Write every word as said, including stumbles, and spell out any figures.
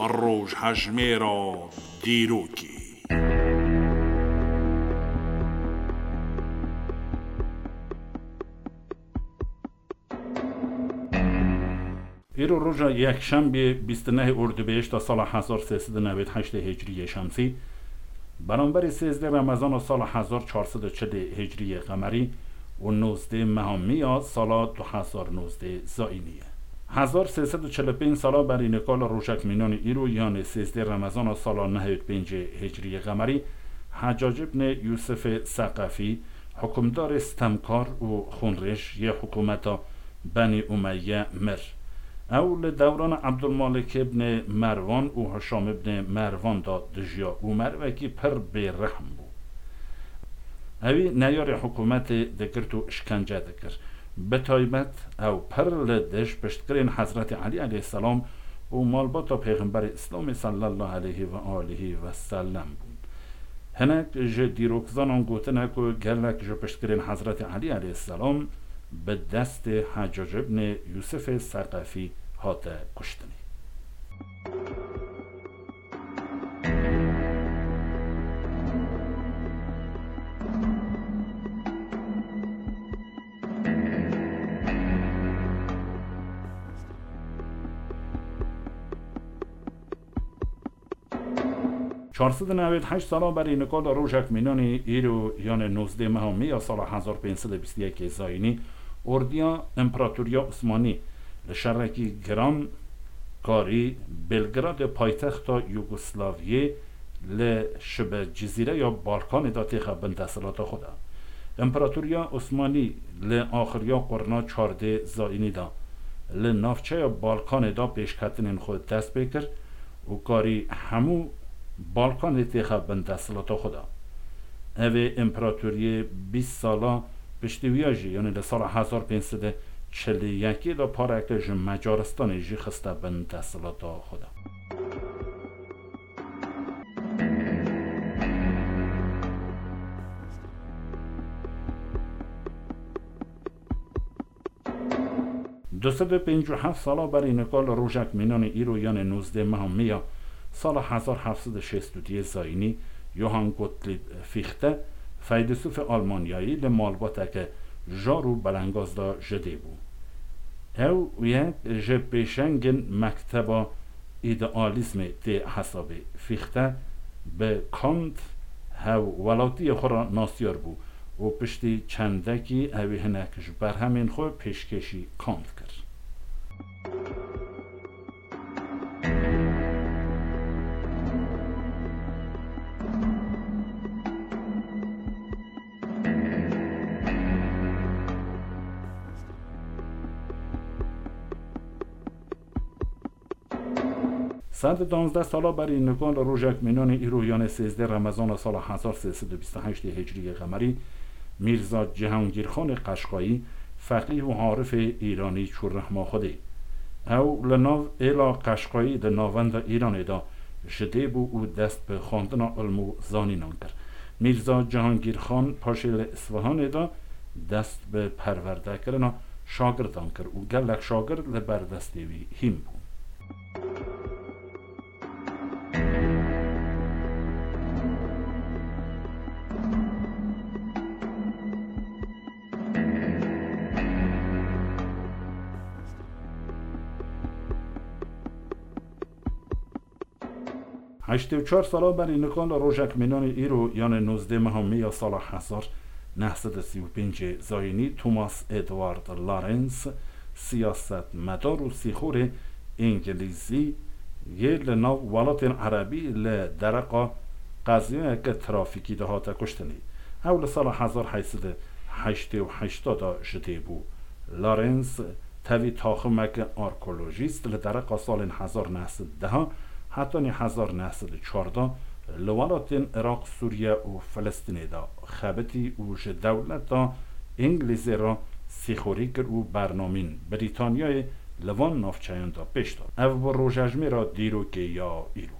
Rojhejmêra dîrokê. Îro roja yekşembê bîst û nehê Ordubêhişta sala hezar sê sed û newêd heştê Hicriyê Şemsî, beramberî sêzdeh Remezana sala hezar çar sed û çilê Hicriyê Qemerî û nozdeh meha Miya sala du hezar nozdeh Zayînî ye. Hezar sê sed û çil û pênc sala berî nika li rojek mînanî îro, yanê sêzdeh Remezana sala nehê û pêncê Hicriyê Qemerî, Hecac ibnê Yûsifê Seqefî, hukimdarê stemkar û xûnrêj yê hikûmeta Benî Umeyye mir. Ew li dewrana Ebdulmalik ibnê Merwan û Hişam ibnê Merwan de dijiya û merivekî pir bêrehm bû. Ewî neyarê hikûmetê digirt û îşkence dikir. Bi taybet ew pir li dij piştgirên Hezretî Elî aleyhisselam û malbata Pêxemberê Îslamê sallallahu aleyhi ve aleyhi ve sellem bûn. Hinek ji dîrokzanan gotine ku gelek ji piştgirên Hezretî Elî aleyhisselam bi destê Heccac ibnê Yûsifê Seqefî hate kuştinê. Çar sed û newêd heşt sala berî nika li rojek mînanî îro, yanê nozdeh meha Miya sala hezar pênc sed û bîst û yekê Zayînî, ordiya Împaratoriya Osmanî li şerekî giran karî Belgradê paytexta Yugoslaviyê li şibe cizîreya Balkanê de têxe bin desthilata xwe de. Împaratoriya Osmanî li axiriya qurna çardê Zayînî de li navçeya Balkanê de pêşketinên xwe dest pê kir û karî hemû Balkanê têxe bin desthilata xwe de. Ev ê împaratoriyê bîst sala piştî wiya jî, yanî li sala hezar pênc sed û çil û yekê de pareke ji Macaristanê jî xiste bin desthilata xwe de. Du sed û pêncî û heft sala berî nika li rojek mînanê îro, yanê nozdeh meha Miya sala hezar heft sed û şêst û duyê Zayînî, Johann Gottlieb Fichte, feylesûfê Almanyayî li malbateke jar û belengaz de ji dê bû. Ew yek ji pêşengên mekteba îdealîzmê tê hesabê. Fichte bi Kant hevwelatiyê xwe re nasiyar bû û piştî çendekî ewî hinek ji berhemên xwe pêşkêşî Kant kir. Sed û danzdeh sala berî nika li rojek mînanê îro, yanê sêzdeh Remezana sala hezar sê sed û bîst û heştê Hicriyê Qemerî, Mîrza Cihangîrxanê Qeşqayî, feqîh û arifê îranî çû rehma Xwedê. Ew li nav êla Qeşqayî di navenda Îranê de ji dê bû û dest bi xwendina ilm û zanînan kir. Mîrza Cihangîrxan paşê li Îsfahanê de dest bi perwerdekirina şagirdan kir û gelek şagird li ber destê wî hîn bûn. Heştê û çar sala berî nika li rojek mînanê îro, yanê nozdeh meha Miya sala hezar neh sed û sî û pêncê Zayînî, Thomas Edward Lawrence, siyasetmedar û sîxorê îngilîzî yê li nav welatên erebî li dereqa qeziyayeke trafîkî de hate kuştinê. Ew li sala hezar heyt sed û heştê û heşt de ji dê bû. Lawrence tevî taximeke arkeolojîst li dereqa salên hezar neh sed dehan hetanî hezar neh sed û çardeh li welatên Iraq, Sûriye û Filistînê de xebitî û ji dewleta Îngilîzê re sîxorî kir û bernamên Brîtanyayê li van navçeyan de pêş da. Ev bû rojejmêra dîrokê ya îro.